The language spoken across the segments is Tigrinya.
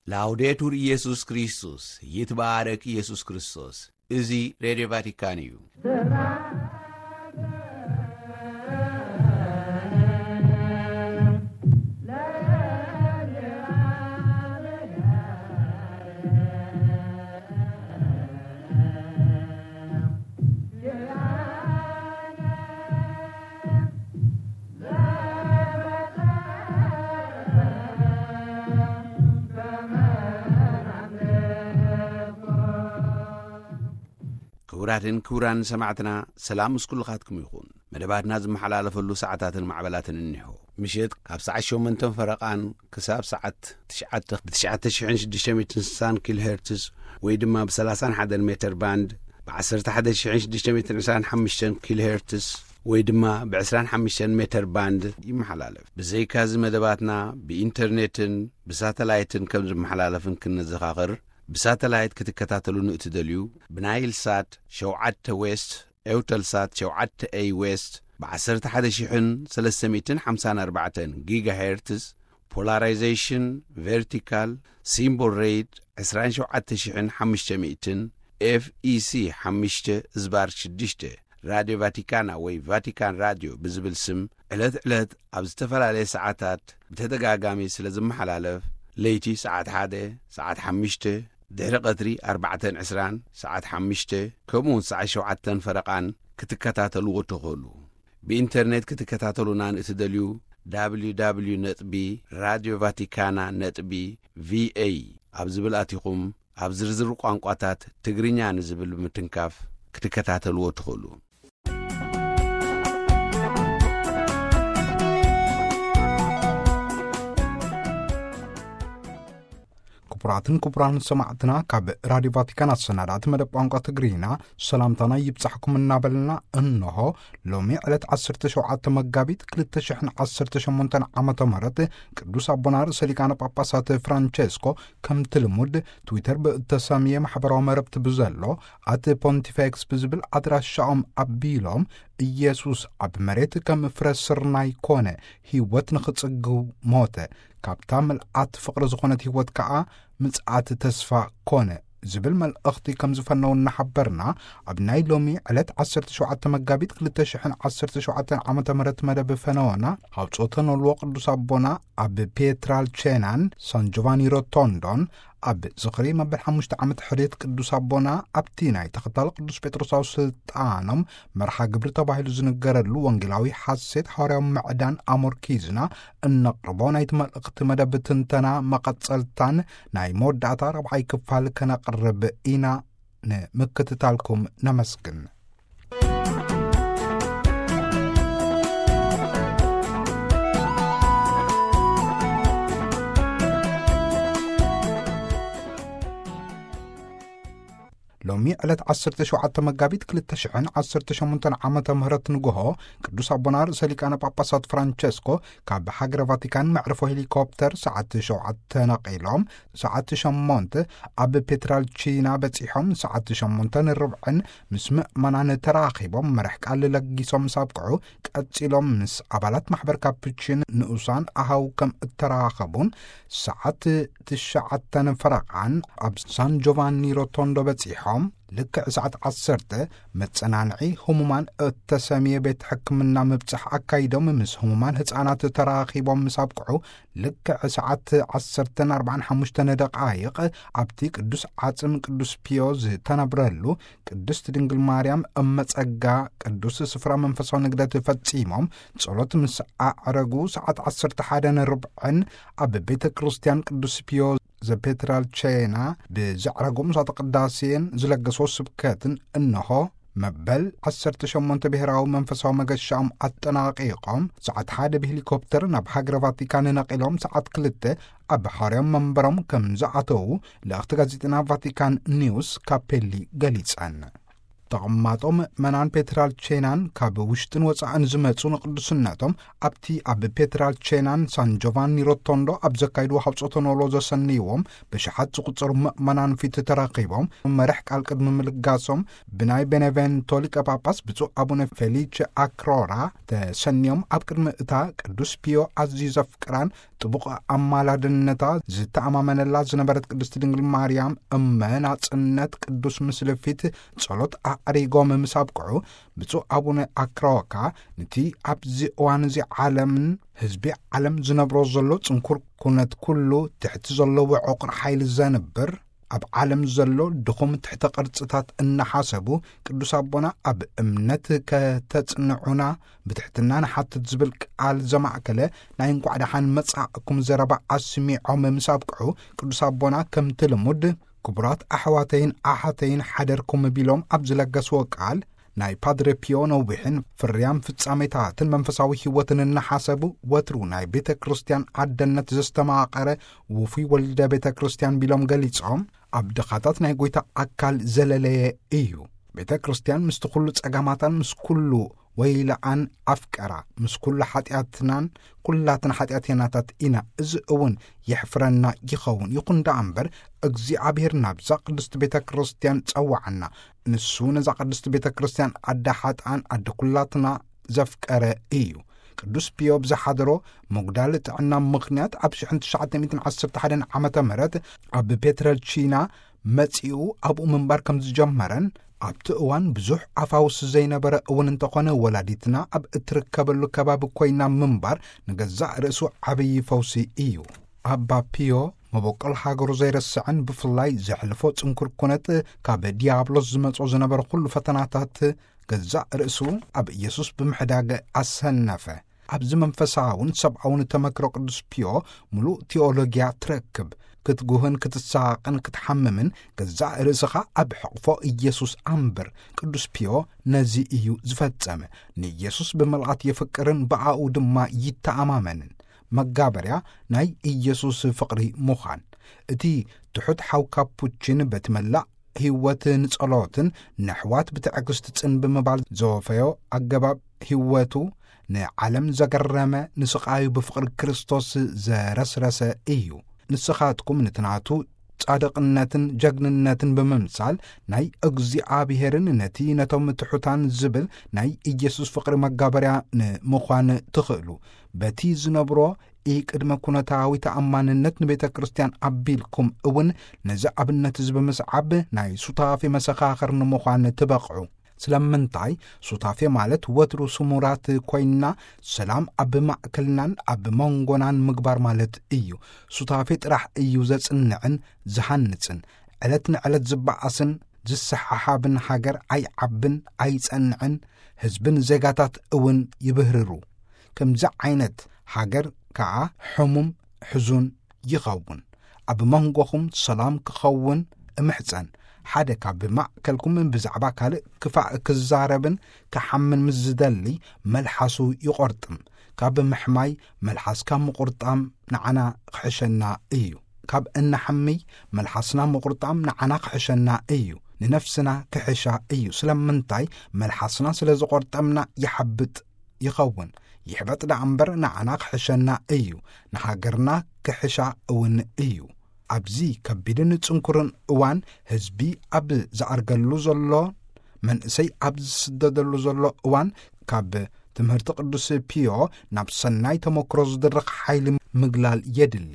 ላውዴቱር ኢየሱስ ክርስቶስ፣ ይትባረክ ኢየሱስ ክርስቶስ። እዚ ሬድዮ ቫቲካን እዩ። ክቡራትን ክቡራን ሰማዕትና፣ ሰላም ምስ ኩልኻትኩም ይኹን። መደባትና ዝመሓላለፈሉ ሰዓታትን ማዕበላትን እኒሆ። ምሽት ካብ ሰዓት ሸሞንተን ፈረቓን ክሳብ ሰዓት ትሽዓተ ብ ትሽዓተ ሽሕን ሽዱሽተ ሚእትን ስሳን ኪሎ ሄርትዝ ወይ ድማ ብ ሰላሳን ሓደን ሜተር ባንድ፣ ብ ዓሰርተ ሓደ ሽሕን ሽዱሽተ ሚእትን ዕስራን ሓሙሽተን ኪሎ ሄርትዝ ወይ ድማ ብ ዕስራን ሓሙሽተን ሜተር ባንድ ይመሓላለፍ። ብዘይካዚ መደባትና ብኢንተርኔትን ብሳተላይትን ከም ዝመሓላለፍን ክንዘኻኽር፣ ብሳተላይት ክትከታተሉ ንእትደልዩ፣ ብናይል ሳት ሸውዓተ ዌስት፣ ኤውተልሳት ሸውዓተ ኤይ ዌስት፣ ብ ዓሰርተ ሓደ ሽሕን ሰለስተ ሚእትን ሓምሳን ኣርባዕተን ጊጋ ሄርትዝ፣ ፖላራይዜሽን ቨርቲካል፣ ሲምቦል ሬት ዕስራን ሸውዓተ ሽሕን ሓሙሽተ ሚእትን፣ ኤፍ ኢ ሲ ሓሙሽተ ዝባር ሽዱሽተ፣ ራድዮ ቫቲካና ወይ ቫቲካን ራድዮ ብዝብል ስም ዕለት ዕለት ኣብ ዝተፈላለየ ሰዓታት ብተደጋጋሚ ስለ ዝመሓላለፍ፣ ለይቲ ሰዓት ሓደ፣ ሰዓት ሓሙሽተ፣ ድሕሪ ቀትሪ ኣርባዕተን ዕስራን፣ ሰዓት ሓሙሽተ፣ ከምኡ እውን ሰዓት ሸውዓተን ፈረቓን ክትከታተልዎ ትኽእሉ። ብኢንተርኔት ክትከታተሉና ንእትደልዩ፣ ደብሊው ደብሊው ደብሊው ነጥቢ ራድዮ ቫቲካና ነጥቢ ቪ ኤ ኣብ ዝብል ኣቲኹም፣ ኣብ ዝርዝር ቋንቋታት ትግርኛ ንዝብል ብምትንካፍ ክትከታተልዎ ትኽእሉ። ክቡራትን ክቡራን ሰማዕትና፣ ካብ ራድዮ ቫቲካን ኣሰናዳእቲ መደብ ቋንቋ ትግርኛ ሰላምታና ይብጻሕኩም እናበልና፣ እንሆ ሎሚ ዕለት ዓሰርተ ሸውዓተ መጋቢት ክልተ ሽሕን ዓሰርተ ሸሞንተን ዓመተ ምህረት ቅዱስ ኣቦና ርእሰ ሊቃነ ጳጳሳት ፍራንቸስኮ ከምቲ ልሙድ ትዊተር ብእተሰምየ ማሕበራዊ መረብቲ ብዘሎ ኣት ፖንቲፌክስ ብዝብል ኣድራሻኦም ኣቢሎም፣ ኢየሱስ ኣብ መሬት ከም ፍረ ስርናይ ኮነ፣ ህይወት ንኽጽግው ሞተ፣ ካብታ ምልኣት ፍቕሪ ዝኾነት ህይወት ከኣ ምጽኣት ተስፋ ኮነ ዝብል መልእኽቲ ከም ዝፈነው እናሓበርና፣ ኣብ ናይ ሎሚ ዕለት ዓሰርተ ሸውዓተ መጋቢት ክልተ ሽሕን ዓሰርተ ሸውዓተን ዓመተ ምህረት መደብ ፈነወና፣ ሃውጾተ ኖልዎ ቅዱስ ኣቦና ኣብ ፔትራልቼናን ሳን ጆቫኒ ሮቶንዶን ኣብ ዝኽሪ መበል ሓሙሽተ ዓመት ሕርየት ቅዱስ ኣቦና ኣብቲ ናይ ተኸታሊ ቅዱስ ጴጥሮሳዊ ስልጣኖም መርሓ ግብሪ ተባሂሉ ዝንገረሉ ወንጌላዊ ሓሴት ሓዋርያዊ ምዕዳን ኣሞርኪዝና እነቕርቦ ናይቲ መልእኽቲ መደብ ትንተና መቐጸልታን ናይ መወዳእታ ራብዓይ ክፋል ከነቕርብ ኢና። ንምክትታልኩም ነመስግን። ሎሚ ዕለት ዓሰርተ ሸውዓተ መጋቢት ክልተ ሽሕን ዓሰርተ ሸሞንተን ዓመተ ምህረት ንግሆ፣ ቅዱስ ኣቦና ርእሰ ሊቃነ ጳጳሳት ፍራንቸስኮ ካብ ሃገረ ቫቲካን መዕርፎ ሄሊኮፕተር ሰዓት ሸውዓተ ነቒሎም፣ ሰዓት ሸሞንተ ኣብ ፔትራልቺና በጺሖም፣ ሰዓት ሸሞንተ ንርብዕን ምስ ምእመናን ተራኺቦም መራሕ ቃል ለጊሶም ምስ ኣብቅዑ፣ ቀጺሎም ምስ ኣባላት ማሕበር ካፕቺን ንኡሳን ኣሃው ከም እተራኸቡን፣ ሰዓት ትሽዓተን ፈረቓን ኣብ ሳን ጆቫኒ ሮቶንዶ በጺሖም፣ ልክዕ ሰዓት ዓሰርተ መጸናንዒ ህሙማን እተሰምየ ቤት ሕክምና ምብጻሕ ኣካይዶም፣ ምስ ህሙማን ህጻናት ተራኺቦም ምስ ኣብቅዑ፣ ልክዕ ሰዓት ዓሰርተን ኣርባዓን ሓሙሽተን ደቓይቕ ኣብቲ ቅዱስ ዓጽም ቅዱስ ፒዮ ዝተነብረሉ ቅድስት ድንግል ማርያም እመጸጋ ቅዱስ ስፍራ መንፈሳዊ ንግደት ፈጺሞም፣ ጸሎት ምስ ኣዕረጉ ሰዓት ዓሰርተ ሓደን ርብዕን ኣብ ቤተ ክርስቲያን ቅዱስ ፒዮ ዘፔትራልቼና ብዘዕረጉ ምሳተ ቅዳሴን ዝለገሶ ስብከትን እንሆ መበል ዓሰርተ ሸሞንተ ብሔራዊ መንፈሳዊ መገሻኦም ኣጠናቒቖም፣ ሰዓት ሓደ ብሄሊኮፕተር ናብ ሃገረ ቫቲካን ነቒሎም፣ ሰዓት ክልተ ኣብ ሓዋርያዊ መንበሮም ከም ዝኣተዉ ልእኽቲ ጋዜጠና ቫቲካን ኒውስ ካፔሊ ገሊጸን። ተቐማጦ ምእመናን ፔትራልቼናን ካብ ውሽጥን ወጻእን ዝመጹ ንቅዱስነቶም ኣብቲ ኣብ ፔትራልቼናን ሳን ጆቫኒ ሮቶንዶ ኣብ ዘካይድዎ ሃውጾተ ኖሎ ዘሰንይዎም ብሽሓት ዝቁጸሩ ምእመናን ፊት ተራኺቦም መራሕ ቃል ቅድሚ ምልጋሶም ብናይ ቤኔቬንቶ ሊቀ ጳጳስ ብፁዕ ኣቡነ ፌሊቸ ኣክሮራ ተሰንዮም ኣብ ቅድሚ እታ ቅዱስ ፒዮ ኣዝዩ ዘፍቅራን ጥቡቕ ኣማላድነታ ዝተኣማመነላ ዝነበረት ቅድስቲ ድንግል ማርያም እመ ናጽነት ቅዱስ ምስልፊት ጸሎት ኣዕሪጎም ምስ ኣብቅዑ ብፁዕ ኣቡነ ኣክሮካ ነቲ ኣብዚ እዋን እዚ ዓለምን ህዝቢ ዓለም ዝነብሮ ዘሎ ጽንኩር ኩነት ኩሉ ትሕቲ ዘለዎ ዕቑር ሓይሊ ዘንብር ኣብ ዓለም ዘሎ ድኹም ትሕተ ቅርጽታት እናሓሰቡ ቅዱስ ኣቦና ኣብ እምነት ከተጽንዑና ብትሕትና ንሓትት ዝብል ቃል ዘማእከለ ናይ እንቋዕ ደሓን መጻእኩም ዘረባ ኣስሚዖም ምስ ኣብቅዑ ቅዱስ ኣቦና ከምቲ ልሙድ ክቡራት ኣሕዋተይን ኣሓተይን ሓደርኩም ቢሎም ኣብ ዝለገስዎ ቃል ናይ ፓድረ ፒዮ ነዊሕን ፍርያም ፍጻሜታትን መንፈሳዊ ህይወትን እናሓሰቡ ወትሩ ናይ ቤተ ክርስቲያን ኣደነት ዘስተማቐረ ውፉይ ወልደ ቤተ ክርስቲያን ቢሎም ገሊጾም ኣብ ድኻታት ናይ ጎይታ ኣካል ዘለለየ እዩ። ቤተ ክርስቲያን ምስቲ ኩሉ ጸጋማታን ምስ ኩሉ ወይለኣን ኣፍቀራ ምስ ኩሉ ሓጢኣትናን ኩላትና ሓጢኣተኛታት ኢና። እዚ እውን የሕፍረና ይኸውን። ይኹን ደኣ እምበር እግዚኣብሔር ናብዛ ቅድስቲ ቤተ ክርስቲያን ጸዋዓና። ንሱ ነዛ ቅድስቲ ቤተ ክርስቲያን ኣደ ሓጥኣን ኣደ ኩላትና ዘፍቀረ እዩ። ቅዱስ ፒዮ ብዝሓደሮ ምጉዳል ጥዕና ምኽንያት ኣብ ሽሕን ትሽዓተ ሚእትን ዓሰርተ ሓደን ዓመተ ምህረት ኣብ ፔትረልቺና መጺኡ ኣብኡ ምንባር ከም ዝጀመረን ኣብቲ እዋን ብዙሕ ኣፋውስ ዘይነበረ እውን እንተኾነ ወላዲትና ኣብ እትርከበሉ ከባቢ ኮይና ምንባር ንገዛእ ርእሱ ዓብዪ ፈውሲ እዩ። ኣባ ፒዮ መበቆል ሃገሩ ዘይረስዕን ብፍላይ ዘሕልፎ ጽንኩር ኩነት ካብ ዲያብሎስ ዝመጾ ዝነበረ ኩሉ ፈተናታት ገዛእ ርእሱ ኣብ ኢየሱስ ብምሕዳግ ኣሰነፈ። ኣብዚ መንፈሳውን ሰብኣውን ተመክሮ ቅዱስ ፒዮ ምሉእ ቴዎሎጊያ ትረክብ። ክትጉህን ክትሳቐን ክትሓምምን ገዛእ ርእስኻ ኣብ ሕቕፎ ኢየሱስ ኣንብር። ቅዱስ ፒዮ ነዚ እዩ ዝፈጸመ። ንኢየሱስ ብምልኣት የፍቅርን ብኣኡ ድማ ይተኣማመንን። መጋበርያ ናይ ኢየሱስ ፍቕሪ ምዃን። እቲ ትሑት ሓው ካፑቺን በቲ መላእ ህይወት ንጸሎትን ነሕዋት ብትዕግስቲ ጽን ብምባል ዘወፈዮ ኣገባብ ህይወቱ ንዓለም ዘገረመ ንስቓዩ ብፍቕሪ ክርስቶስ ዘረስረሰ እዩ። ንስኻትኩም ነቲ ናቱ ጻድቕነትን ጀግንነትን ብምምሳል ናይ እግዚኣብሔርን ነቲ ነቶም ትሑታን ዝብል ናይ ኢየሱስ ፍቕሪ መጋበርያ ንምዃን ትኽእሉ። በቲ ዝነብሮ ኢቅድመ ኩነታዊ ተኣማንነት ንቤተ ክርስቲያን ኣቢልኩም እውን ነዚ ኣብነት እዚ ብምስዓብ ናይ ሱታፌ መሰኻኽር ንምዃን ትበቕዑ። ስለምንታይ? ሱታፌ ማለት ወትሩ ስሙራት ኮይንና ሰላም ኣብ ማእከልናን ኣብ መንጎናን ምግባር ማለት እዩ። ሱታፌ ጥራሕ እዩ ዘጽንዕን ዝሃንጽን። ዕለት ንዕለት ዝበኣስን ዝሰሓሓብን ሃገር ኣይዓብን ኣይጸንዕን፣ ህዝብን ዜጋታት እውን ይብህርሩ። ከምዚ ዓይነት ሃገር ከኣ ሕሙም ሕዙን ይኸውን። ኣብ መንጎኹም ሰላም ክኸውን እምሕጸን። ሓደ ካብ ማእከልኩም ብዛዕባ ካልእ ክፋእ ክዛረብን ክሓምን ምስ ዝደሊ መልሓሱ ይቖርጥም። ካብ ምሕማይ መልሓስካ ምቑርጣም ንዓና ክሕሸና እዩ። ካብ እነሓምይ መልሓስና ምቑርጣም ንዓና ክሕሸና እዩ። ንነፍስና ክሕሻ እዩ። ስለምንታይ? መልሓስና ስለ ዝቖርጠምና ይሓብጥ ይኸውን። ይሕበጥ ደኣ እምበር ንዓና ክሕሸና እዩ። ንሃገርና ክሕሻ እውን እዩ። ኣብዚ ከቢድን ጽንኩርን እዋን ህዝቢ ኣብ ዝኣርገሉ ዘሎ፣ መንእሰይ ኣብ ዝስደደሉ ዘሎ እዋን ካብ ትምህርቲ ቅዱስ ፒዮ ናብ ሰናይ ተመክሮ ዝድርኽ ሓይሊ ምግላል የድሊ።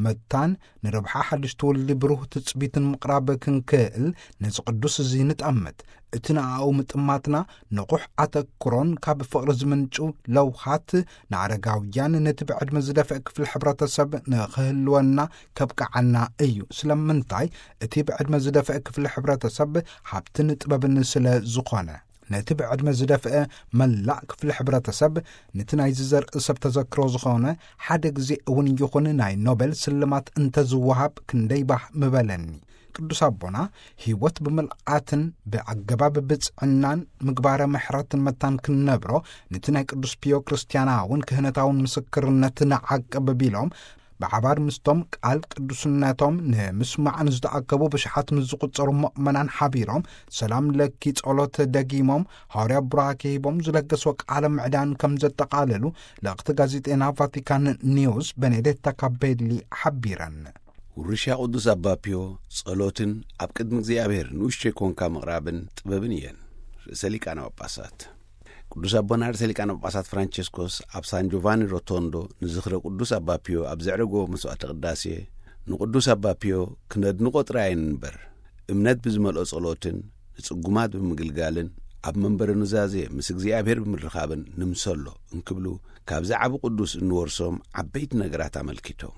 መታን ንረብሓ ሓድሽ ትውልዲ ብሩህ ትጽቢትን ምቕራብ ክንክእል ነዚ ቅዱስ እዚ ንጠምት። እቲ ንኣኡ ምጥማትና ንቑሕ ኣተክሮን ካብ ፍቕሪ ዝምንጩ ለውሃት ንኣረጋውያን ነቲ ብዕድመ ዝደፍአ ክፍሊ ሕብረተሰብ ንኽህልወና ከብቅዓና እዩ። ስለምንታይ? እቲ ብዕድመ ዝደፍአ ክፍሊ ሕብረተሰብ ሃብትን ጥበብን ስለ ዝኾነ። ነቲ ብዕድመ ዝደፍአ መላእ ክፍሊ ሕብረተሰብ፣ ነቲ ናይዚ ዘርኢ ሰብ ተዘክሮ ዝኾነ ሓደ ግዜ እውን ይኹን ናይ ኖቤል ስልማት እንተዝወሃብ ክንደይ ባህ ምበለኒ። ቅዱስ ኣቦና ህይወት ብምልኣትን ብኣገባብ ብጽዕናን ምግባረ ምሕረትን መታን ክንነብሮ፣ ነቲ ናይ ቅዱስ ፒዮ ክርስትያናውን ክህነታውን ምስክርነት ንዓቅብ ቢሎም፣ ብሓባር ምስቶም ቃል ቅዱስነቶም ንምስማዕ ንዝተኣከቡ ብሽሓት ምስ ዝቑጸሩ ምእመናን ሓቢሮም፣ ሰላም ለኪ ጸሎት ደጊሞም፣ ሃዋርያ ቡራኬ ሂቦም ዝለገስዎ ቃለ ምዕዳን ከም ዘጠቓለሉ ልእኽቲ ጋዜጤና ቫቲካን ኒውስ በኔዴታ ካቤሊ ሓቢረን። ውርሻ ቅዱስ ኣባ ፒዮ ጸሎትን ኣብ ቅድሚ እግዚኣብሔር ንኡሽተይ ኮንካ ምቕራብን ጥበብን እየን። ርእሰ ሊቃነ ጳጳሳት ቅዱስ ኣቦና ርእሰ ሊቃነ ጳጳሳት ፍራንቸስኮስ ኣብ ሳን ጆቫኒ ሮቶንዶ ንዝኽረ ቅዱስ ኣባ ፒዮ ኣብ ዘዕረጎ መስዋዕተ ቅዳሴ፣ ንቅዱስ ኣባ ፒዮ ክነድንቆ ጥራይን እምበር፣ እምነት ብዝመልኦ ጸሎትን ንጽጉማት ብምግልጋልን ኣብ መንበረ ኑዛዜ ምስ እግዚኣብሔር ብምርኻብን ንምሰሎ እንክብሉ፣ ካብዚ ዓቢ ቅዱስ እንወርሶም ዓበይቲ ነገራት ኣመልኪቶም።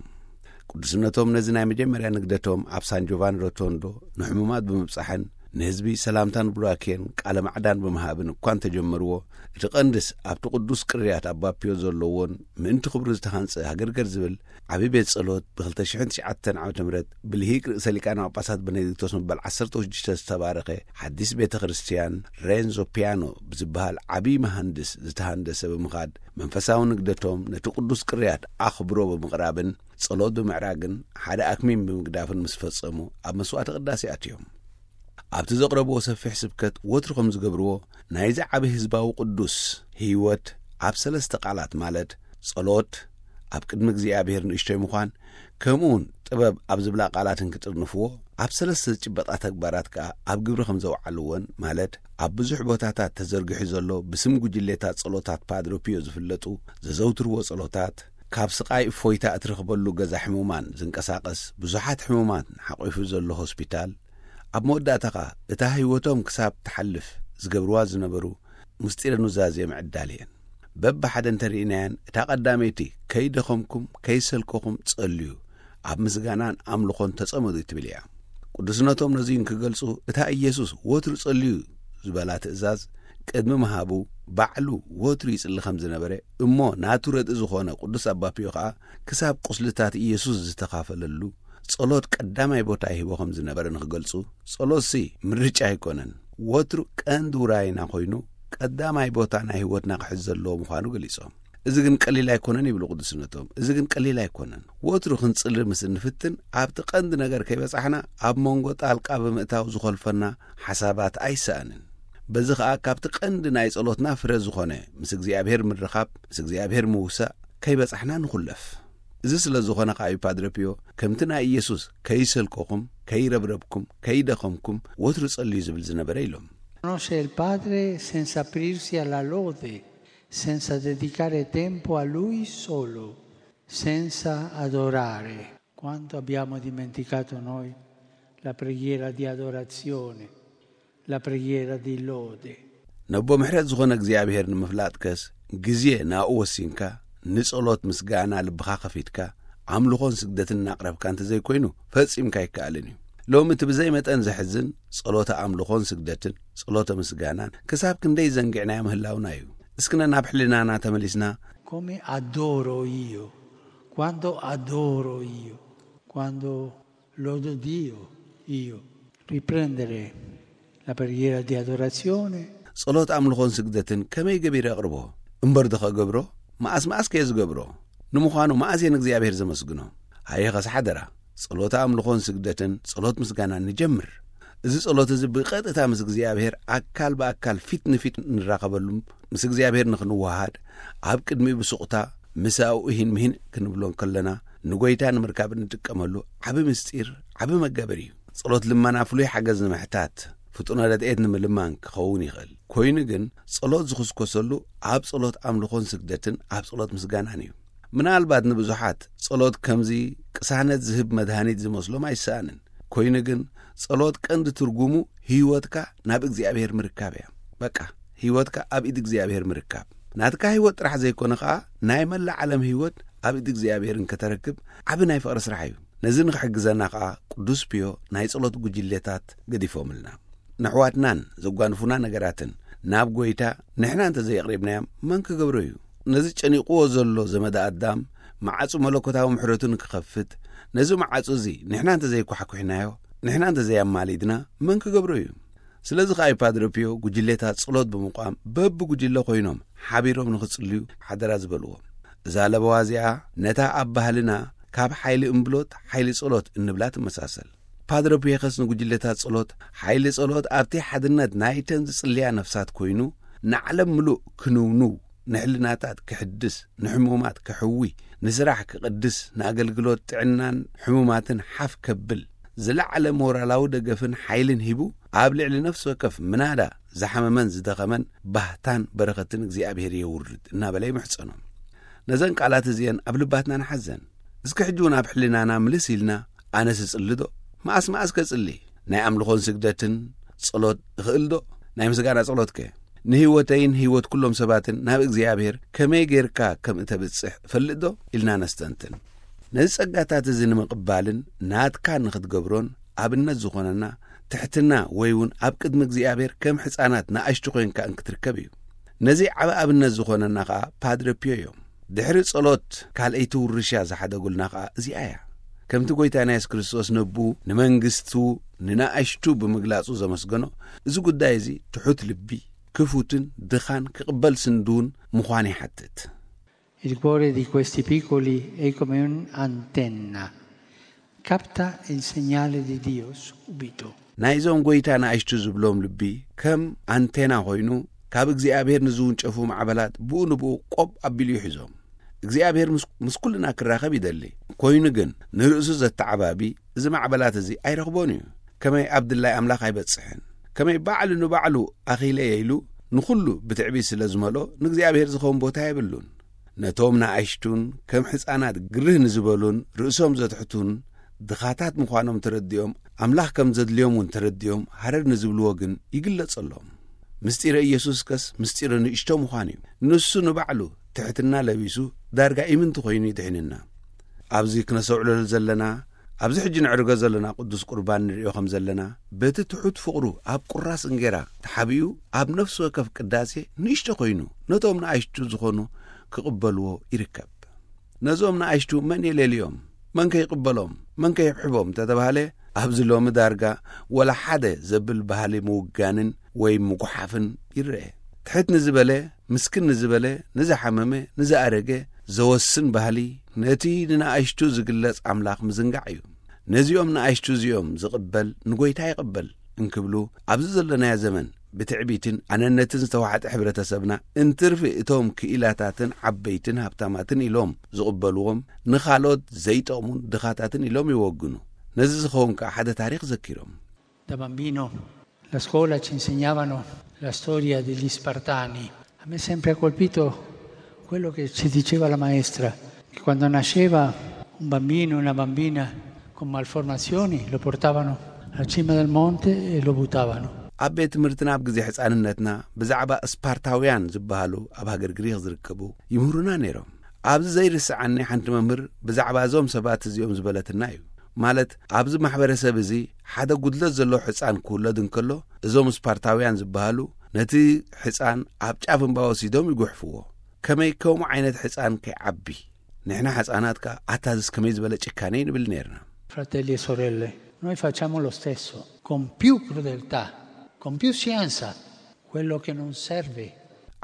ቅዱስነቶም ነዚ ናይ መጀመርያ ንግደቶም ኣብ ሳን ጆቫኒ ሮቶንዶ ንሕሙማት ብምብጻሕን ንህዝቢ ሰላምታን ቡራኬን ቃለ ማዕዳን ብምሃብን እኳ እንተጀመርዎ፣ እቲ ቀንድስ ኣብቲ ቅዱስ ቅርያት ኣባ ፒዮ ዘለዎን ምእንቲ ክብሩ ዝተሃንጸ ሃገርገር ዝብል ዓቢ ቤት ጸሎት ብ ክልተ ሽሕን ትሽዓተን ዓመተ ምህረት ብልሂቅ ርእሰ ሊቃነ ጳጳሳት በኔዲክቶስ መበል ዓሰርተ ሽዱሽተ ዝተባረኸ ሓዲስ ቤተ ክርስቲያን ሬንዞ ፒያኖ ብዝበሃል ዓቢ መሃንድስ ዝተሃንደሰ ብምኻድ፣ መንፈሳዊ ንግደቶም ነቲ ቅዱስ ቅርያት ኣኽብሮ ብምቕራብን ጸሎት ብምዕራግን ሓደ ኣክሚን ብምግዳፍን ምስ ፈጸሙ፣ ኣብ መስዋዕተ ቅዳሴ ኣትዮም። ኣብቲ ዘቕረብዎ ሰፊሕ ስብከት ወትሩ ከም ዝገብርዎ፣ ናይዚ ዓቢ ህዝባዊ ቅዱስ ህይወት ኣብ ሰለስተ ቃላት፣ ማለት ጸሎት፣ ኣብ ቅድሚ እግዚኣብሔር ንእሽቶይ ምዃን፣ ከምኡውን ጥበብ ኣብ ዝብላ ቃላትን ክጥርንፍዎ፣ ኣብ ሰለስተ ዝጭበጣ ተግባራት ከኣ ኣብ ግብሪ ከም ዘውዓልዎን፣ ማለት ኣብ ብዙሕ ቦታታት ተዘርጊሑ ዘሎ ብስም ጉጅሌታት ጸሎታት ፓድሮ ፒዮ ዝፍለጡ፣ ዘዘውትርዎ ጸሎታት፣ ካብ ስቓይ እፎይታ እትረኽበሉ ገዛ ሕሙማን ዝንቀሳቐስ፣ ብዙሓት ሕሙማን ሓቒፉ ዘሎ ሆስፒታል፣ ኣብ መወዳእታ ኸኣ እታ ህይወቶም ክሳብ ትሓልፍ ዝገብርዋ ዝነበሩ ምስጢረ ኑዛዜ ምዕዳል እየን። በብሓደ እንተርኢናየን፣ እታ ቀዳመይቲ "ከይደኸምኩም፣ ከይሰልከኹም ጸልዩ፣ ኣብ ምስጋናን ኣምልኾን ተጸመዱ" ትብል እያ። ቅዱስነቶም ነዚ እንክገልጹ፣ እታ ኢየሱስ ወትሩ ጸልዩ ዝበላ ትእዛዝ ቅድሚ ምሃቡ፣ ባዕሉ ወትሩ ይጽሊ ከም ዝነበረ፣ እሞ ናቱ ረድኢ ዝኾነ ቅዱስ ኣባ ፒዮ ኸኣ ክሳብ ቁስልታት ኢየሱስ ዝተኻፈለሉ ጸሎት ቀዳማይ ቦታ ይህቦ ከም ዝነበረ ንክገልጹ፣ ጸሎትሲ ምርጫ ኣይኮነን፣ ወትሩ ቀንዲ ውራይና ኮይኑ፣ ቀዳማይ ቦታ ናይ ህይወትና ክሕዝ ዘለዎ ምዃኑ ገሊጾም። "እዚ ግን ቀሊል ኣይኮነን" ይብሉ ቅዱስነቶም። "እዚ ግን ቀሊል ኣይኮነን። ወትሩ ክንጽሊ ምስ እንፍትን፣ ኣብቲ ቀንዲ ነገር ከይበጻሕና፣ ኣብ መንጎ ጣልቃ ብምእታው ዝኾልፈና ሓሳባት ኣይሰኣንን። በዚ ኸኣ ካብቲ ቀንዲ ናይ ጸሎትና ፍረ ዝኾነ ምስ እግዚኣብሔር ምርኻብ፣ ምስ እግዚኣብሔር ምውሳእ ከይበጻሕና ንኹለፍ። እዚ ስለ ዝኾነ ከኣ እዩ ፓድረ ፒዮ ከምቲ ናይ ኢየሱስ 'ከይሰልከኹም፣ ከይረብረብኩም፣ ከይደኸምኩም ወትሩ ጸልዩ' ዝብል ዝነበረ" ኢሎም። Conosce il Padre senza aprirsi alla lode, senza dedicare tempo a Lui solo, senza adorare. Quanto abbiamo dimenticato noi la preghiera di adorazione, la preghiera di lode. ነቦ ምሕረት ዝኾነ እግዚኣብሔር ንምፍላጥከስ፣ ግዜ ናብኡ ወሲንካ፣ ንጸሎት ምስጋና ልብኻ ከፊትካ፣ ኣምልኾን ስግደትን እናቕረብካ እንተዘይኮይኑ፣ ፈጺምካ ኣይከኣልን እዩ። ሎሚ እቲ ብዘይ መጠን ዘሕዝን፣ ጸሎተ ኣምልኾን ስግደትን፣ ጸሎተ ምስጋናን፣ ክሳብ ክንደይ ዘንጊዕናዮ ምህላውና እዩ። እስኪ ነናብ ሕልናና ተመሊስና፣ Come adoro io? Quando adoro io? Quando lodo Dio io? Riprendere la preghiera di adorazione. ጸሎት ኣምልኾን ስግደትን ከመይ ገቢረ ኣቕርቦ? እምበር ዶ ከገብሮ? መኣስ መኣስ ከየ ዝገብሮ? ንምዃኑ መኣስ እየ ንእግዚኣብሔር ዘመስግኖ? ሃየ ኸስ ሓደራ፣ ጸሎት ኣምልኾን ስግደትን ጸሎት ምስጋናን ንጀምር። እዚ ጸሎት እዚ ብቐጥታ ምስ እግዚኣብሔር ኣካል ብኣካል ፊት ንፊት ንራኸበሉ፣ ምስ እግዚኣብሔር ንኽንወሃሃድ፣ ኣብ ቅድሚኡ ብሱቕታ ምሳኡ እሂን ምሂን ክንብሎ እንከለና፣ ንጎይታ ንምርካብ እንጥቀመሉ ዓቢ ምስጢር፣ ዓቢ መጋበሪ እዩ። ጸሎት ልመና ፍሉይ ሓገዝ ንምሕታት፣ ፍጡነ ረድኤት ንምልማን ክኸውን ይኽእል። ኮይኑ ግን፣ ጸሎት ዝኹስኮሰሉ ኣብ ጸሎት ኣምልኾን ስግደትን ኣብ ጸሎት ምስጋናን እዩ። ምናልባት ንብዙሓት ጸሎት ከምዚ ቅሳነት ዝህብ መድሃኒት ዝመስሎም ኣይሰኣንን። ኮይኑ ግን፣ ጸሎት ቀንዲ ትርጉሙ ህይወትካ ናብ እግዚኣብሔር ምርካብ እያ። በቃ፣ ህይወትካ ኣብ ኢድ እግዚኣብሔር ምርካብ። ናትካ ህይወት ጥራሕ ዘይኮነ ኸኣ፣ ናይ መላእ ዓለም ህይወት ኣብ ኢድ እግዚኣብሔር እንከተረክብ ዓቢ ናይ ፍቕሪ ስራሕ እዩ። ነዚ ንኽሕግዘና ኸኣ ቅዱስ ፒዮ ናይ ጸሎት ጉጅሌታት ገዲፎምልና። ነሕዋትናን ዘጓንፉና ነገራትን ናብ ጐይታ ንሕና እንተ ዘየቕሪብናዮም መን ክገብሮ እዩ? ነዚ ጨኒቕዎ ዘሎ ዘመደ ኣዳም መዓጹ መለኮታዊ ምሕረቱ ንክኸፍት፣ ነዚ መዓጹ እዚ ንሕና እንተ ዘይኳሕኲሕናዮ፣ ንሕና እንተ ዘየማሊድና መን ክገብሮ እዩ? ስለዚ ኸኣ እዩ ፓድረ ፒዮ ጉጅሌታት ጸሎት ብምቋም በብጉጅለ ኮይኖም ሓቢሮም ንኽጽልዩ ሓደራ ዝበልዎም። እዛ ለበዋ እዚኣ ነታ ኣብ ባህልና ካብ ሓይሊ እምብሎት ሓይሊ ጸሎት እንብላ ትመሳሰል። ፓድረ ፒየኸስ ንጉጅለታት ጸሎት ሓይሊ ጸሎት ኣብቲ ሓድነት ናይተን ዝጽልያ ነፍሳት ኮይኑ፣ ንዓለም ምሉእ ክንውንው፣ ንሕልናታት ክሕድስ፣ ንሕሙማት ክሕዊ፣ ንስራሕ ክቕድስ፣ ንኣገልግሎት ጥዕናን ሕሙማትን ሓፍ ከብል፣ ዝለዓለ ሞራላዊ ደገፍን ሓይልን ሂቡ፣ ኣብ ልዕሊ ነፍሲ ወከፍ ምናዳ ዝሓመመን ዝደኸመን ባህታን በረኸትን እግዚኣብሔር የውርድ እናበለ ይምሕጸኖም። ነዘን ቃላት እዚአን ኣብ ልባትና ንሓዘን። እስኪ ሕጂ እውን ኣብ ሕልናና ምልስ ኢልና፣ ኣነስ እጽሊ ዶ? መኣስ መኣስ ከጽሊ? ናይ ኣምልኾን ስግደትን ጸሎት እኽእል ዶ? ናይ ምስጋና ጸሎትከ? ንህይወተይን ህይወት ኩሎም ሰባትን ናብ እግዚኣብሔር ከመይ ጌርካ ከም እተብጽሕ እፈልጥ ዶ? ኢልና ነስተንትን። ነዚ ጸጋታት እዚ ንምቕባልን ናትካ ንኽትገብሮን ኣብነት ዝኾነና ትሕትና ወይ እውን ኣብ ቅድሚ እግዚኣብሔር ከም ሕፃናት ንኣሽቱ ኮይንካ እንክትርከብ እዩ። ነዚ ዓቢ ኣብነት ዝኾነና ኸኣ ፓድረ ፒዮ እዮም። ድሕሪ ጸሎት ካልኣይቲ ውርሻ ዝሓደጉልና ኸኣ እዚኣ እያ። ከምቲ ጐይታና የሱስ ክርስቶስ ነብኡ ንመንግስቱ ንናኣሽቱ ብምግላጹ ዘመስገኖ፣ እዚ ጉዳይ እዚ ትሑት ልቢ፣ ክፉትን ድኻን ክቕበል ስንድውን ምዃን ይሓትት። Il cuore di questi piccoli è come un'antenna, capta il segnale di Dio subito. ናይዞም ጐይታ ንኣሽቱ ዝብሎም ልቢ ከም ኣንቴና ኮይኑ፣ ካብ እግዚኣብሔር ንዝውንጨፉ ማዕበላት ብኡ ንብኡ ቆብ ኣቢሉ ይሕዞም። እግዚኣብሔር ምስ፣ ምስ ኩልና ክራኸብ ይደሊ። ኮይኑ ግን ንርእሱ ዘተዓባቢ እዚ ማዕበላት እዚ ኣይረኽቦን እዩ። ከመይ ኣብ ድላይ ኣምላኽ ኣይበጽሕን። ከመይ ባዕሉ ንባዕሉ ኣኺለየ ኢሉ ንኹሉ ብትዕቢት ስለ ዝመልኦ ንእግዚኣብሔር ዝኸውን ቦታ የብሉን። ነቶም ንኣሽቱን ከም ሕፃናት ግርህ ንዝበሉን ርእሶም ዘትሕቱን ድኻታት ምዃኖም ተረዲኦም፣ ኣምላኽ ከም ዘድልዮም እውን ተረዲኦም ሃረር ንዝብልዎ ግን ይግለጸሎም። ምስጢረ ኢየሱስ ከስ ምስጢረ ንእሽቶ ምዃን እዩ። ንሱ ንባዕሉ ትሕትና ለቢሱ ዳርጋ ኢምንቲ ኮይኑ ይድሕንና። ኣብዚ ክነሰውዕለሉ ዘለና፣ ኣብዚ ሕጂ ንዕርጎ ዘለና ቅዱስ ቁርባን ንርእዮ ከም ዘለና፣ በቲ ትሑት ፍቕሩ ኣብ ቁራስ እንጌራ ተሓቢኡ ኣብ ነፍሲ ወከፍ ቅዳሴ ንእሽቶ ኮይኑ ነቶም ንኣሽቱ ዝኾኑ ክቕበልዎ ይርከብ። ነዞም ንኣሽቱ መን የሌልዮም? መን ከይቕበሎም? መን ከይሕብሕቦም እንተተባህለ፣ ኣብዚ ሎሚ ዳርጋ ወላ ሓደ ዘብል ባህሊ ምውጋንን ወይ ምጉሓፍን ይረአ። ትሕት ንዝበለ፣ ምስክን ንዝበለ፣ ንዝሓመመ፣ ንዝኣረገ ዘወስን ባህሊ፣ ነቲ ንንኣሽቱ ዝግለጽ ኣምላኽ ምዝንጋዕ እዩ። ነዚኦም ንኣሽቱ እዚኦም ዝቕበል ንጎይታ ይቕበል እንክብሉ፣ ኣብዚ ዘለናዮ ዘመን ብትዕቢትን ኣነነትን ዝተዋሕጠ ሕብረተሰብና እንትርፊ እቶም ክኢላታትን ዓበይትን ሃብታማትን ኢሎም ዝቕበልዎም ንኻልኦት ዘይጠቕሙን ድኻታትን ኢሎም ይወግኑ። ነዚ ዝኸውን ከኣ ሓደ ታሪኽ ዘኪሮም። Da bambino la scuola ci insegnavano la storia degli Spartani. A me sempre ha colpito quello che ci diceva la maestra, che quando nasceva un bambino o una bambina con malformazioni lo portavano alla cima del monte e lo buttavano. ኣብ ቤት ትምህርትና ኣብ ግዜ ሕፃንነትና ብዛዕባ ስፓርታውያን ዝበሃሉ ኣብ ሃገር ግሪኽ ዝርከቡ ይምህሩና ነይሮም። ኣብዚ ዘይርስዓኒ ሓንቲ መምህር ብዛዕባ እዞም ሰባት እዚኦም ዝበለትና እዩ። ማለት ኣብዚ ማሕበረሰብ እዚ ሓደ ጉድለት ዘለዎ ሕፃን ክውለድ እንከሎ እዞም ስፓርታውያን ዝበሃሉ ነቲ ሕፃን ኣብ ጫፍ እምባ ወሲዶም ይጉሕፍዎ። ከመይ ከምኡ ዓይነት ሕፃን ከይዓቢ? ንሕና ሕፃናት ከኣ ኣታዝስ ከመይ ዝበለ ጭካኔ ንብል ነይርና። Fratelli e sorelle, noi facciamo lo stesso, con più crudeltà, con più scienza, quello che non serve.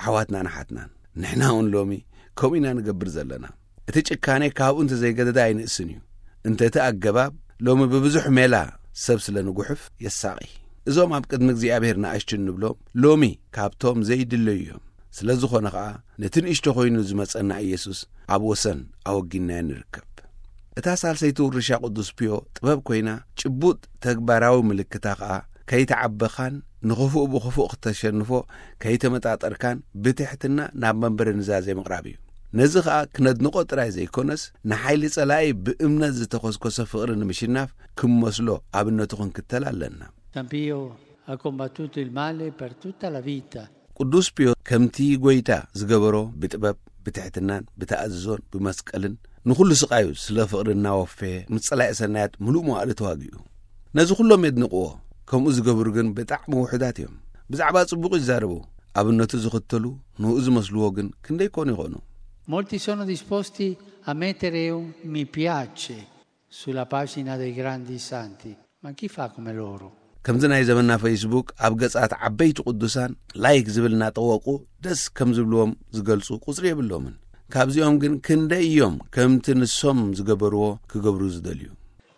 ኣሕዋትና ንሓትናን ንሕና እውን ሎሚ ከምኡ ኢና ንገብር ዘለና። እቲ ጭካኔ ካብኡ እንተዘይገደደ ኣይንእስን እዩ። እንተ እቲ ኣገባብ ሎሚ ብብዙሕ ሜላ ሰብ ስለ ንጉሕፍ የሳቒ። እዞም ኣብ ቅድሚ እግዚኣብሔር ንኣሽቱ እንብሎም ሎሚ ካብቶም ዘይድለዩ እዮም። ስለ ዝኾነ ኸኣ ነቲ ንእሽቶ ኮይኑ ዝመጸና ኢየሱስ ኣብ ወሰን ኣወጊንናዮ ንርከብ። እታ ሳልሰይቲ ውርሻ ቅዱስ ፒዮ ጥበብ ኮይና፣ ጭቡጥ ተግባራዊ ምልክታ ኸኣ ከይተዓበኻን ንኽፉእ ብኽፉእ ክተሸንፎ ከይተመጣጠርካን ብትሕትና ናብ መንበረ ኑዛዜ ምቕራብ እዩ። ነዚ ኸኣ ክነድንቖ ጥራይ ዘይኮነስ ንሓይሊ ጸላኢ ብእምነት ዝተኾስኮሰ ፍቕሪ ንምሽናፍ ክመስሎ ኣብነቱ ክንክተል ኣለና። San Pio ha combattuto il male per tutta la vita. ቅዱስ ፒዮ ከምቲ ጐይታ ዝገበሮ ብጥበብ፣ ብትሕትናን ብተኣዝዞን ብመስቀልን ንኹሉ ስቓዩ ስለ ፍቕሪ እናወፈየ ምስ ጸላኢ ሰናያት ምሉእ መዋእሉ ተዋጊኡ። ነዚ ኩሎም የድንቕዎ፣ ከምኡ ዝገብሩ ግን ብጣዕሚ ውሑዳት እዮም። ብዛዕባ ጽቡቕ ይዛረቡ፣ ኣብነቱ ዝኽተሉ ንኡ ዝመስልዎ ግን ክንደይ ኮኑ ይኾኑ? Molti sono disposti a mettere un mi piace sulla pagina dei grandi santi, ma chi fa come loro? ከምዚ ናይ ዘመንና ፌስቡክ ኣብ ገጻት ዓበይቲ ቅዱሳን ላይክ ዝብል እናጠወቑ ደስ ከም ዝብልዎም ዝገልጹ ቁጽሪ የብሎምን። ካብዚኦም ግን ክንደይ እዮም ከምቲ ንሶም ዝገበርዎ ክገብሩ ዝደልዩ?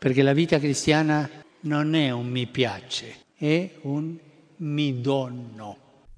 Perché la vita cristiana non è un mi piace, è un mi dono.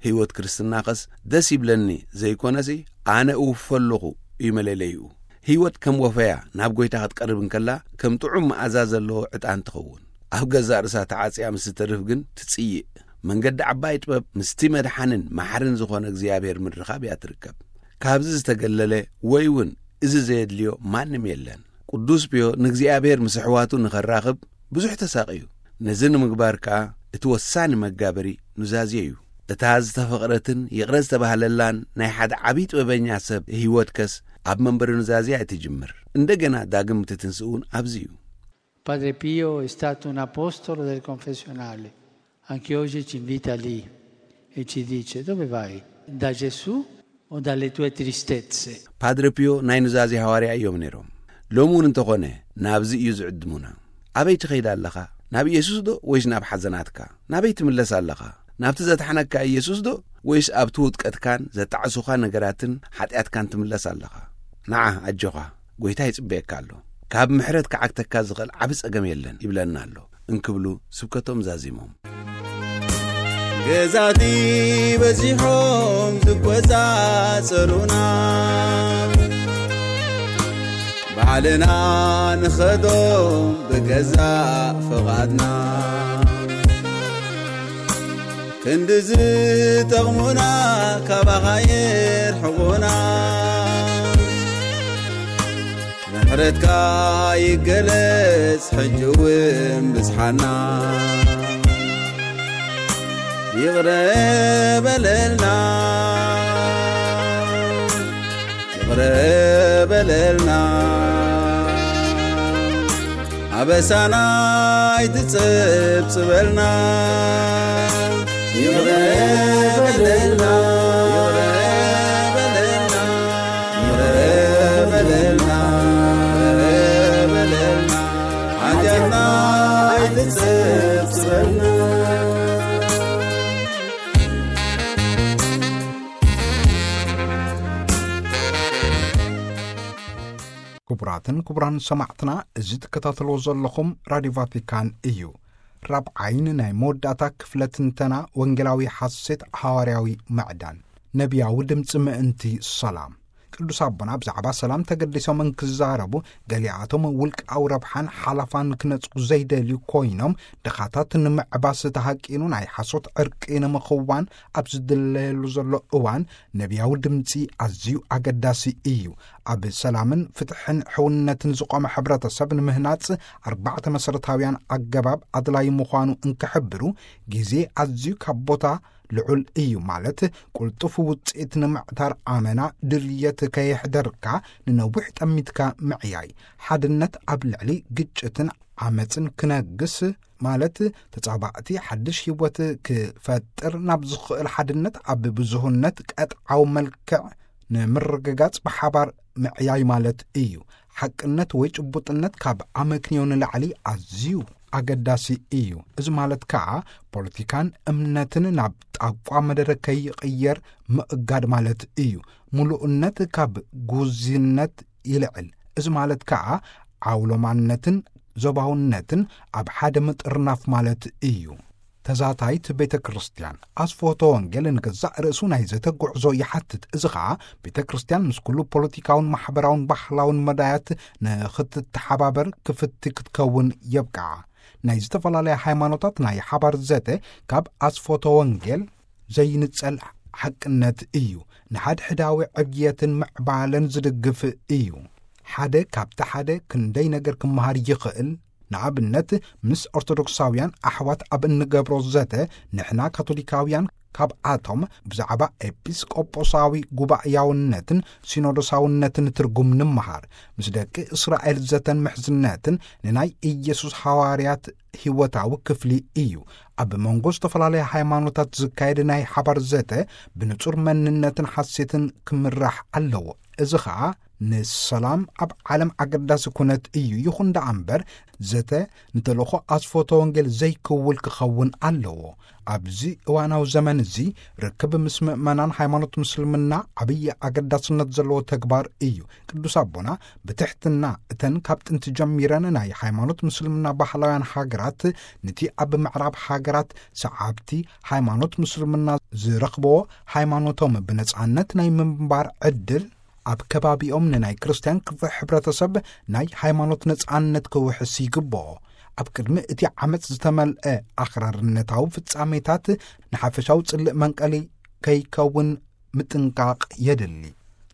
ህይወት ክርስትናኸስ ደስ ይብለኒ ዘይኮነሲ፣ ኣነ እውፈ ኣለኹ እዩ መለለይኡ። ህይወት ከም ወፈያ ናብ ጎይታ ክትቀርብ እንከላ፣ ከም ጥዑም መኣዛ ዘለዎ ዕጣን ትኸውን። ኣብ ገዛእ ርእሳ ተዓጽያ ምስ ትተርፍ ግን ትጽይእ። መንገዲ ዓባይ ጥበብ ምስቲ መድሓንን ማሕርን ዝኾነ እግዚኣብሔር ምርኻብ እያ ትርከብ። ካብዚ ዝተገለለ ወይ እውን እዚ ዘየድልዮ ማንም የለን። ቅዱስ ፒዮ ንእግዚኣብሔር ምስ ኣሕዋቱ ንኸራኽብ ብዙሕ ተሳቕዩ። ነዚ ንምግባር ከኣ እቲ ወሳኒ መጋበሪ ኑዛዜ እዩ። እታ ዝተፈቕረትን ይቕረ ዝተባህለላን ናይ ሓደ ዓብዪ ጥበበኛ ሰብ ህይወት ከስ ኣብ መንበሪ ኑዛዜ እያ ትጅምር። እንደገና ዳግም ትትንስኡ እውን ኣብዚ እዩ። Padre Pio è stato un apostolo del confessionale. Anche oggi ci invita lì e ci dice: "Dove vai? Da Gesù o dalle tue tristezze?" ፓድረ ፒዮ ናይ ኑዛዜ ሃዋርያ እዮም ነይሮም። ሎሚ እውን እንተኾነ ናብዚ እዩ ዝዕድሙና። ኣበይ ትኸይድ ኣለኻ? ናብ ኢየሱስ ዶ ወይስ ናብ ሓዘናትካ? ናበይ ትምለስ ኣለኻ? ናብቲ ዘድሓነካ ኢየሱስ ዶ ወይስ ኣብቲ ውድቀትካን ዘጣዕሱኻ ነገራትን ሓጢኣትካን ትምለስ ኣለኻ? ንዓ፣ ኣጆኻ፣ ጎይታ ይጽበየካ ኣሎ። ካብ ምሕረት ክዓግተካ ዝኽእል ዓቢ ጸገም የለን ይብለና ኣሎ እንክብሉ ስብከቶም ዛዚሞም። ገዛቲ በዚሖም ዝቆጻጸሩና፣ ባዕልና ንኸዶም ብገዛእ ፍቓድና። ክንዲ ዝጠቕሙና ካባኻ የርሕቑና። ምሕረትካ ይገለጽ ሕጂ እውን ብዝሓና። ይቕረ በለልና፣ ይቕረ በለልና፣ ኣበሳና ኣይትጸብጽበልና። ይቕረ በለልና፣ ይቕረ በለልና፣ ይቕረ በለልና፣ ይቕረ በለልና፣ ሓጢኣትና ኣይትጸብጽበልና። ክቡራትን ክቡራን ሰማዕትና፣ እዚ ትከታተልዎ ዘለኹም ራድዮ ቫቲካን እዩ። ራብዓይን ናይ መወዳእታ ክፍለ ትንተና ወንጌላዊ ሓሴት፣ ሃዋርያዊ ምዕዳን፣ ነቢያዊ ድምፂ ምእንቲ ሰላም። ቅዱስ ኣቦና ብዛዕባ ሰላም ተገዲሶም እንክዛረቡ፣ ገሊኣቶም ውልቃዊ ረብሓን ሓለፋን ክነጽጉ ዘይደልዩ ኮይኖም፣ ድኻታት ንምዕባስ ተሃቂኑ ናይ ሓሶት ዕርቂ ንምኽዋን ኣብ ዝድለየሉ ዘሎ እዋን፣ ነቢያዊ ድምጺ ኣዝዩ ኣገዳሲ እዩ። ኣብ ሰላምን ፍትሕን ሕውነትን ዝቖመ ሕብረተሰብ ንምህናጽ ኣርባዕተ መሰረታውያን ኣገባብ ኣድላዪ ምዃኑ እንክሕብሩ፣ ግዜ ኣዝዩ ካብ ቦታ ልዑል እዩ፣ ማለት ቅልጡፍ ውጽኢት ንምዕታር ኣመና ድልየት ከየሕደርካ ንነዊሕ ጠሚትካ ምዕያይ፣ ሓድነት ኣብ ልዕሊ ግጭትን ዓመጽን ክነግስ፣ ማለት ተጻባእቲ ሓድሽ ህይወት ክፈጥር ናብ ዝኽእል ሓድነት ኣብ ብዙህነት ቀጥዓዊ መልክዕ ንምርግጋጽ ብሓባር ምዕያይ ማለት እዩ። ሓቅነት ወይ ጭቡጥነት ካብ ኣመክንዮ ንላዕሊ ኣዝዩ ኣገዳሲ እዩ። እዚ ማለት ከኣ ፖለቲካን እምነትን ናብ ጣቋ መደረ ከይቕየር ምእጋድ ማለት እዩ። ምሉእነት ካብ ጉዝነት ይልዕል። እዚ ማለት ከኣ ዓውሎማነትን ዞባውነትን ኣብ ሓደ ምጥርናፍ ማለት እዩ። ተዛታይት ቤተ ክርስቲያን ኣስፎቶ ወንጌል ንገዛእ ርእሱ ናይ ዘተ ጉዕዞ ይሓትት። እዚ ኸኣ ቤተ ክርስቲያን ምስ ኩሉ ፖለቲካውን ማሕበራውን ባህላውን መዳያት ንኽትተሓባበር ክፍቲ ክትከውን የብቅዓ። ናይ ዝተፈላለያ ሃይማኖታት ናይ ሓባር ዘተ ካብ ኣስፎቶ ወንጌል ዘይንጸል ሓቅነት እዩ። ንሓድሕዳዊ ዕብየትን ምዕባለን ዝድግፍ እዩ። ሓደ ካብቲ ሓደ ክንደይ ነገር ክመሃር ይኽእል። ንኣብነት፣ ምስ ኦርቶዶክሳውያን ኣሕዋት ኣብ እንገብሮ ዘተ፣ ንሕና ካቶሊካውያን ካብኣቶም ብዛዕባ ኤጲስቆጶሳዊ ጉባኤያውነትን ሲኖዶሳውነትን ትርጉም ንምሃር። ምስ ደቂ እስራኤል ዘተን ምሕዝነትን ንናይ ኢየሱስ ሃዋርያት ህይወታዊ ክፍሊ እዩ። ኣብ መንጎ ዝተፈላለያ ሃይማኖታት ዝካየድ ናይ ሓባር ዘተ ብንጹር መንነትን ሓሴትን ክምራሕ ኣለዎ። እዚ ኸኣ ንሰላም ኣብ ዓለም ኣገዳሲ ኩነት እዩ። ይኹን ደኣ እምበር፣ ዘተ ንተልእኾ ኣስፎቶ ወንጌል ዘይክውል ክኸውን ኣለዎ። ኣብዚ እዋናዊ ዘመን እዚ፣ ርክብ ምስ ምእመናን ሃይማኖት ምስልምና ዓብዪ ኣገዳስነት ዘለዎ ተግባር እዩ። ቅዱስ ኣቦና ብትሕትና፣ እተን ካብ ጥንቲ ጀሚረን ናይ ሃይማኖት ምስልምና ባህላውያን ሃገራት፣ ነቲ ኣብ ምዕራብ ሃገራት ሰዓብቲ ሃይማኖት ምስልምና ዝረኽብዎ ሃይማኖቶም ብነጻነት ናይ ምንባር ዕድል፣ ኣብ ከባቢኦም ንናይ ክርስትያን ክፍለ ሕብረተሰብ ናይ ሃይማኖት ነጻነት ክውሕስ ይግብኦ። ኣብ ቅድሚ እቲ ዓመጽ ዝተመልአ ኣኽራርነታዊ ፍጻሜታት፣ ንሓፈሻዊ ጽልእ መንቀሊ ከይከውን ምጥንቃቕ የድሊ።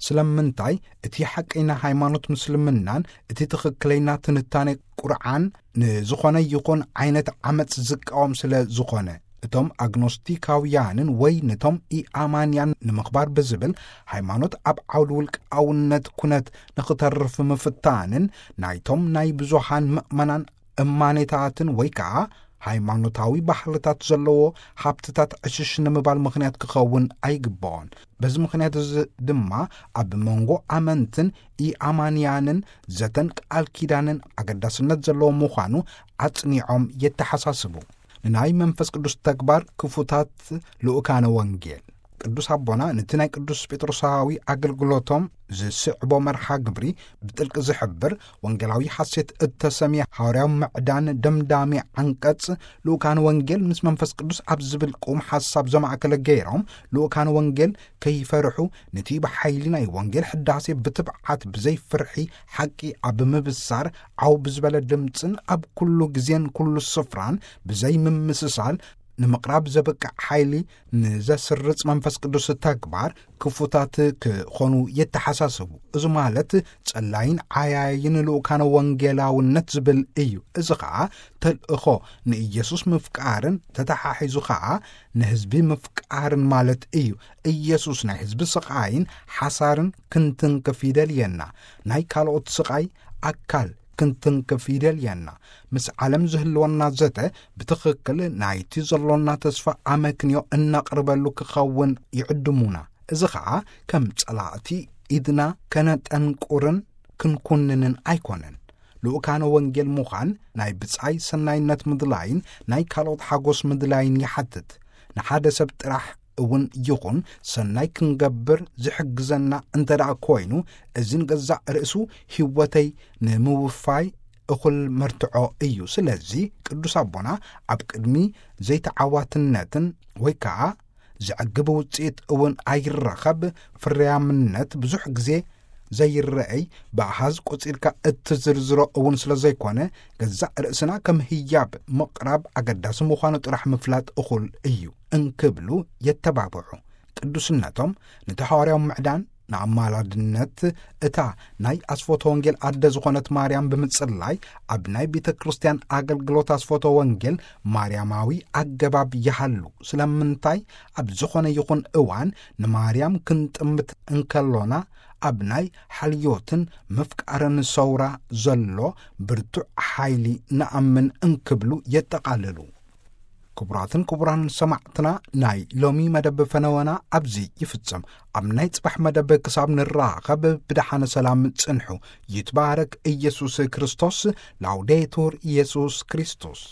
ስለምንታይ? እቲ ሓቀይና ሃይማኖት ምስልምናን እቲ ትኽክለይና ትንታኔ ቁርዓን ንዝኾነ ይኹን ዓይነት ዓመጽ ዝቃወም ስለ ዝኾነ፣ እቶም ኣግኖስቲካውያንን ወይ ነቶም ኢኣማንያን ንምኽባር ብዝብል፣ ሃይማኖት ኣብ ዓውዲ ውልቃውነት ንኽተርፍ ምፍታንን፣ ናይቶም ናይ ብዙሃን ምእመናን እማኔታትን ወይ ከኣ ሃይማኖታዊ ባህልታት ዘለዎ ሃብትታት ዕሽሽ ንምባል ምኽንያት ክኸውን ኣይግብኦን። በዚ ምኽንያት እዚ ድማ፣ ኣብ መንጎ ኣመንትን ኢኣማንያንን ዘተን ቃል ኪዳንን ኣገዳስነት ዘለዎ ምዃኑ ኣጽኒዖም የተሓሳስቡ። ንናይ መንፈስ ቅዱስ ተግባር ክፉታት ልኡካነ ወንጌል። ቅዱስ ኣቦና ነቲ ናይ ቅዱስ ጴጥሮሳዊ ኣገልግሎቶም ዝስዕቦ መርሓ ግብሪ ብጥልቂ ዝሕብር፣ ወንጌላዊ ሓሴት እተሰምየ ሃዋርያዊ ምዕዳን ደምዳሚ ዓንቀጽ፣ ልኡካን ወንጌል ምስ መንፈስ ቅዱስ ኣብ ዝብል ቁም ሓሳብ ዘማእከለ ገይሮም፣ ልኡካን ወንጌል ከይፈርሑ፣ ነቲ ብሓይሊ ናይ ወንጌል ሕዳሴ ብትብዓት ብዘይ ፍርሒ ሓቂ ኣብ ምብሳር፣ ዓው ብዝበለ ድምጽን ኣብ ኩሉ ግዜን ኩሉ ስፍራን ብዘይ ምምስሳል፣ ንምቕራብ ዘብቅዕ ሓይሊ ንዘስርጽ መንፈስ ቅዱስ ተግባር ክፉታት ክኾኑ የተሓሳስቡ። እዚ ማለት፣ ጸላይን ዓያይን ልኡካነ ወንጌላውነት ዝብል እዩ። እዚ ኸኣ፣ ተልእኾ ንኢየሱስ ምፍቃርን፣ ተተሓሒዙ ኸኣ ንህዝቢ ምፍቃርን ማለት እዩ። ኢየሱስ ናይ ህዝቢ ስቓይን ሓሳርን ክንትንክፍ ይደልየና። ናይ ካልኦት ስቓይ ኣካል ክንትንክፍ ይደልየና። ምስ ዓለም ዝህልወና ዘተ፣ ብትኽክል ናይቲ ዘሎና ተስፋ ኣመክንዮ እነቕርበሉ ክኸውን ይዕድሙና። እዚ ኸኣ፣ ከም ጸላእቲ ኢድና ከነጠንቁርን ክንኩንንን ኣይኮነን። ልኡካነ ወንጌል ምዃን፣ ናይ ብጻይ ሰናይነት ምድላይን ናይ ካልኦት ሓጎስ ምድላይን ይሓትት። ንሓደ ሰብ ጥራሕ እውን ይኹን ሰናይ ክንገብር ዝሕግዘና እንተ ደኣ ኮይኑ፣ እዚ ንገዛእ ርእሱ ህይወተይ ንምውፋይ እኹል መርትዖ እዩ። ስለዚ፣ ቅዱስ ኣቦና፣ ኣብ ቅድሚ ዘይተዓዋትነትን ወይ ከኣ ዘዕግብ ውጽኢት እውን ኣይረኸብ፣ ፍርያምነት ብዙሕ ግዜ ዘይረኣይ፣ ብኣሃዝ ቆጺርካ እትዝርዝሮ እውን ስለ ዘይኮነ፣ ገዛእ ርእስና ከም ህያብ ምቕራብ ኣገዳሲ ምዃኑ ጥራሕ ምፍላጥ እኹል እዩ እንክብሉ የተባብዑ። ቅዱስነቶም ነቲ ሃዋርያዊ ምዕዳን ንኣማላድነት እታ ናይ ኣስፎተ ወንጌል ኣደ ዝኾነት ማርያም ብምጽላይ፣ ኣብ ናይ ቤተ ክርስቲያን ኣገልግሎት ኣስፎተ ወንጌል ማርያማዊ ኣገባብ ይሃሉ። ስለምንታይ? ኣብ ዝኾነ ይኹን እዋን ንማርያም ክንጥምት እንከሎና፣ ኣብ ናይ ሓልዮትን ምፍቃርን ሰውራ ዘሎ ብርቱዕ ሓይሊ ንኣምን እንክብሉ የጠቓልሉ። ክቡራትን ክቡራን ሰማዕትና፣ ናይ ሎሚ መደብ ፈነወና ኣብዚ ይፍጸም። ኣብ ናይ ጽባሕ መደብ ክሳብ ንራኸብ፣ ብደሓነ ሰላም ጽንሑ። ይትባረክ ኢየሱስ ክርስቶስ። ላውዴቱር ኢየሱስ ክርስቶስ።